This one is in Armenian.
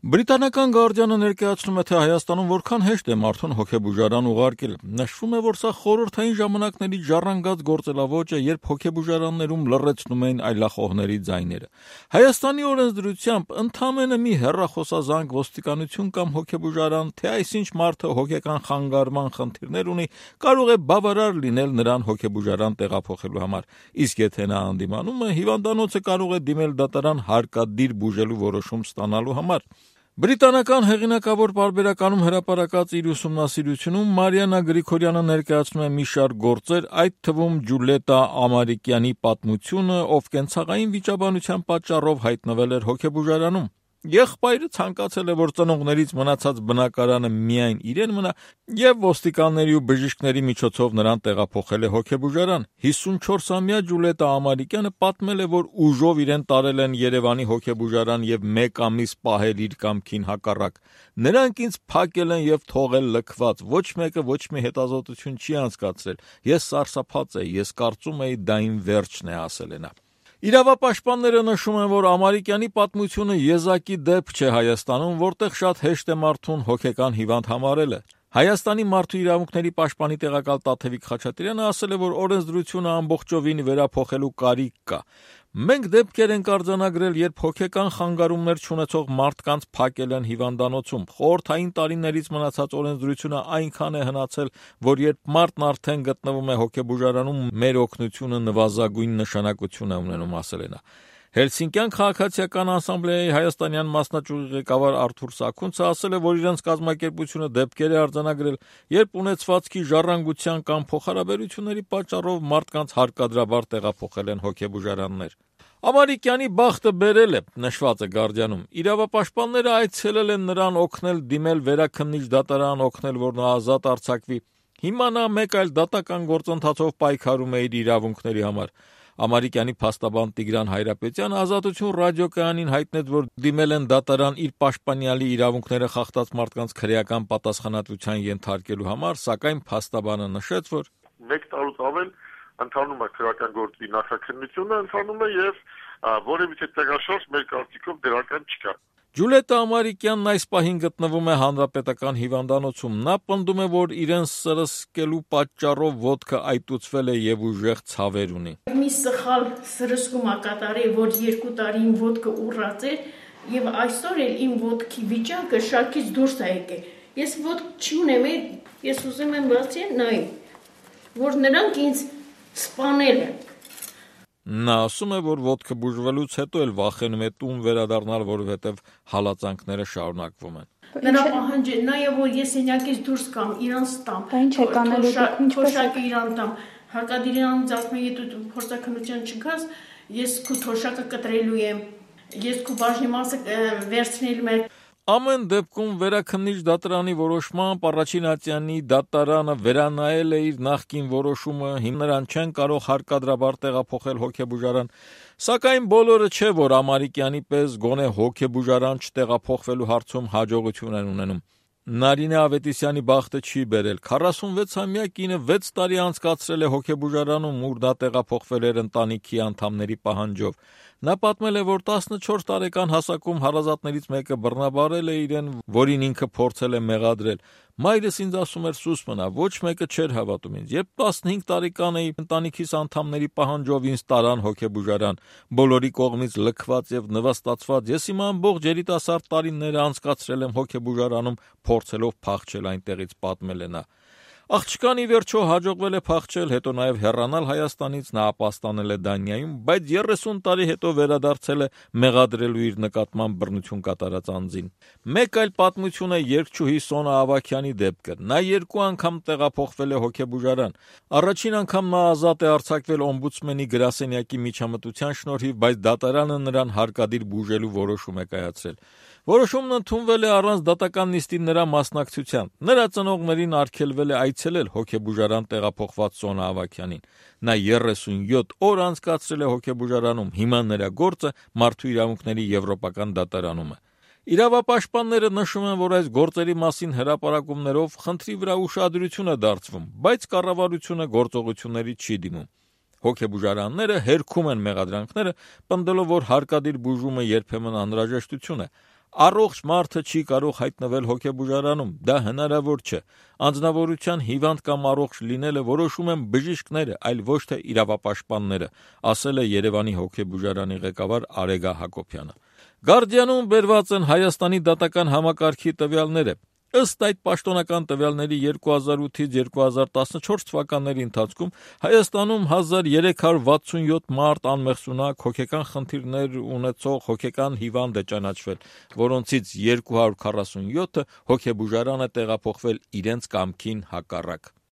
Բրիտանական Guardian-ը ներկայացնում է, թե Հայաստանում որքան հեշտ է մարդուն հոգեբուժարան ուղարկել։ Նշվում է, որ սա խորհրդային ժամանակների ժառանգած գործելավոճ է, երբ հոգեբուժարաններում լռեցնում էին այլախոհների ձայները։ Հայաստանի օրենսդրությամբ ընդամենը մի հեռախոսազանգ, ոստիկանություն կամ հոգեբուժարան, թե այսինչ մարդը հոգեկան խանգարման խնդիրներ ունի, կարող է բավարար լինել նրան հոգեբուժարան տեղափոխելու համար։ Իսկ եթե նա անդիմանում է, հիվանդանոցը կարող է դիմել դատարան հարկադիր բուժելու որոշում ստանալու համար։ Բրիտանական հեղինակավոր պարբերականում հրապարակած իր ուսումնասիրությունում Մարիաննա Գրիգորյանը ներկայացնում է մի շարք գործեր, այդ թվում Ջուլիետտա Ամարիկյանի պատմությունը, ով կենցաղային վիճաբանության պատճառով հայտնվել էր հոգեբուժարանում։ Եղբայրը ցանկացել է, որ ծնողներից մնացած բնակարանը միայն իրեն մնա, եւ ոստիկանների ու բժիշկների միջոցով նրան տեղափոխել է հոգեբուժարան։ 54-ամյա Ջուլիետտա Ամարիկյանը պատմել է, որ ուժով իրեն տարել են Երևանի հոգեբուժարան եւ 1 ամիս պահել իր կամքին հակառակ։ Նրանք ինձ փակել են եւ թողել լքված, ոչ մեկը ոչ մի հետազոտություն չի անցկացրել։ Ես սարսափած էի, ես կարծում էի դա իմ վերջն է, ասել է նա։ Իրավապաշտպանները նշում են, որ Ամարիկյանի պատմությունը եզակի դեպք չէ Հայաստանում, որտեղ շատ հեշտ է մարդուն հոգեկան հիվանդ համարելը։ Հայաստանի մարդու իրավունքների պաշտպանի տեղակալ Տաթևիկ Խաչատրյանը ասել է, որ օրենսդրությունը ամբողջովին վերափոխելու կարիք կա։ Մենք դեպքեր ենք արձանագրել, երբ հոգեկան խանգարումներ չունեցող մարդկանց փակել են հիվանդանոցում։ Խորհրդային տարիներից մնացած օրենսդրությունը այնքան է հնացել, որ երբ մարդն արդեն գտնվում է հոգեբուժարանում, մեր օգնությունը նվազագույն նշանակություն է ունենում, ասել է նա։ Հելսինկյան քաղաքացիական ասամբլեայի հայաստանյան մասնաճյուղի ղեկավար Արթուր Սաքունցը ասել է, որ իրենց կազմակերպությունը դեպքեր է արձանագրել, երբ ունեցվածքի ժառանգության կամ փոխհարաբերությունների պատճառով մարդկանց հարկադրաբար տեղափոխել են հոգեբուժարաններ։ Ամարիկյանի բախտը բերել է, նշված է Guardian-ում։ Իրավապաշտպանները այցելել են նրան օգնել դիմել վերաքննիչ դատարան, օգնել, որ նա ազատ արձակվի։ Հիմա նա մեկ այլ դատական գործընթացով պայքարում է իր իրավունքների համար։ Ամարիկյանի փաստաբան Տիգրան Հայրապետյանը Ազատություն ռադիոկայանին հայտնեց, որ դիմել են դատարան իր պաշտպանյալի իրավունքները խախտած մարդկանց քրեական պատասխանատվության ենթարկելու համար, սակայն փաստաբանը նշեց, որ 1 տարուց ավել ընթանում է քրեական գործի նախաքննությունը, ընթանում է եւ որևիցե տեղաշարժ մեր կարծիքով դրական չկա։ Ջուլիետտա Ամարիկյանն այս պահին գտնվում է հանրապետական հիվանդանոցում։ Նա պնդում է, որ իրեն սրսկելու պատճառով ոտքը այտուցվել է եւ ուժեղ ցավեր ունի։ Մի սխալ սրսկում կատարել, որ 2 տարի իմ ոտքը ուռած էր եւ այսօր էլ իմ ոտքի վիճակը շարքից դուրս է եկել։ Ես ոտք չունեմ, ես ուզում եմ բացի նայ, որ նրանք ինձ սպանել են։ Նա ասում է, որ ոտքը բուժվելուց հետո էլ վախենում է տուն վերադառնալ, որովհետև հալածանքները շարունակվում են։ Նրա պահանջը նաեւ որ ես սենյակից դուրս կամ իրանց տամ։ Ինչ է կանելու դուք, ինչպես իրան տամ։ Հարկադիրյան ձախնի դու փորձակնության չգաս, ես քո թոշակը կտրելու եմ։ Ես քո բաժնի մասը վերցնելու եմ։ Ամեն դեպքում վերաքննիչ դատարանի որոշմամբ առաջին ատյանի դատարանը վերանայել է իր նախկին որոշումը, հիմա նրան չեն կարող հարկադրաբար տեղափոխել հոգեբուժարան, սակայն բոլորը չէ, որ Ամարիկյանի պես գոնե հոգեբուժարան չտեղափոխվելու հարցում հաջողություն են ունենում։ Նարինե Ավետիսյանի բախտը չի բերել։ 46-ամյա կինը 6 տարի անցկացրել է հոգեբուժարանում, ուր նա տեղափոխվել էր ընտանիքի անդամների պահանջով։ Նա պատմել է, որ 14 տարեկան հասակում հարազատներից մեկը բռնաբարել է իրեն, որին ինքը փորձել է մեղադրել։ Մայրս ինձ ասում էր՝ սուս մնա, ոչ մեկը չէր հավատում ինձ։ Երբ 15 տարեկան էի, ընտանիքիս անդամների պահանջով ինձ տարան հոգեբուժարան, բոլորի կողմից լքված եւ նվաստացված, ես իմ ամբողջ երիտասարդ տարիները անցկացրել եմ հոգեբուժարանում, փորձելով փախչել այնտեղից, պատմել է նա։ Աղջկան ի վերջո հաջողվել է փախչել, հետո նաև հեռանալ Հայաստանից, նա ապաստանել է Դանիայում, բայց 30 տարի հետո վերադարձել է մեղադրելու իր նկատմամբ բռնություն կատարած անձին։ Մեկ այլ պատմություն է երգչուհի Սոնա Ավագյանի դեպքը։ Նա 2 անգամ տեղափոխվել է հոգեբուժարան։ Առաջին անգամ նա ազատ է արձակվել օմբուդսմենի գրասենյակի միջամտության շնորհիվ, բայց դատարանը նրան հարկադիր բուժելու որոշում է կայացրել։ Որոշումն ընդունվել է առանց դատական նիստի նրա մասնակցության։ Նրա ծնողներին արգելվել է այցելել հոգեբուժարան տեղափոխված Սոնա Ավագյանին։ Նա 37 օր անցկացրել է հոգեբուժարանում, հիմա նրա գործը մարդու իրավունքների եվրոպական դատարանում է։ Իրավապաշտպանները նշում են, որ այս գործերի մասին հրապարակումներով խնդրի վրա ուշադրություն է դարձվում, բայց կառավարությունը գործողությունների չի դիմում։ Հոգեբուժարանները հերքում են մեղադրանքները, պնդելով, որ հարկադիր բուժումը երբեմն անհրաժեշտություն է։ Առողջ մարդը չի կարող հայտնվել հոգեբուժարանում, դա հնարավոր չէ։ Անձնավորության հիվանդ կամ առողջ լինելը որոշում են բժիշկները, այլ ոչ թե իրավապաշտպանները, ասել է Երևանի հոգեբուժարանի ղեկավար Արեգա Հակոբյանը։ Գարդիանում բերված են Հայաստանի դատական համակարգի տվյալները։ Ըստ այդ պաշտոնական տվյալների 2008-2014 թվականների ընթացքում Հայաստանում 1367 մարդ անմեղսունակ հոգեկան խնդիրներ ունեցող հոգեկան հիվանդ է ճանաչվել, որոնցից 247-ը հոգեբուժարան է տեղափոխվել իրենց կամքին հակառակ։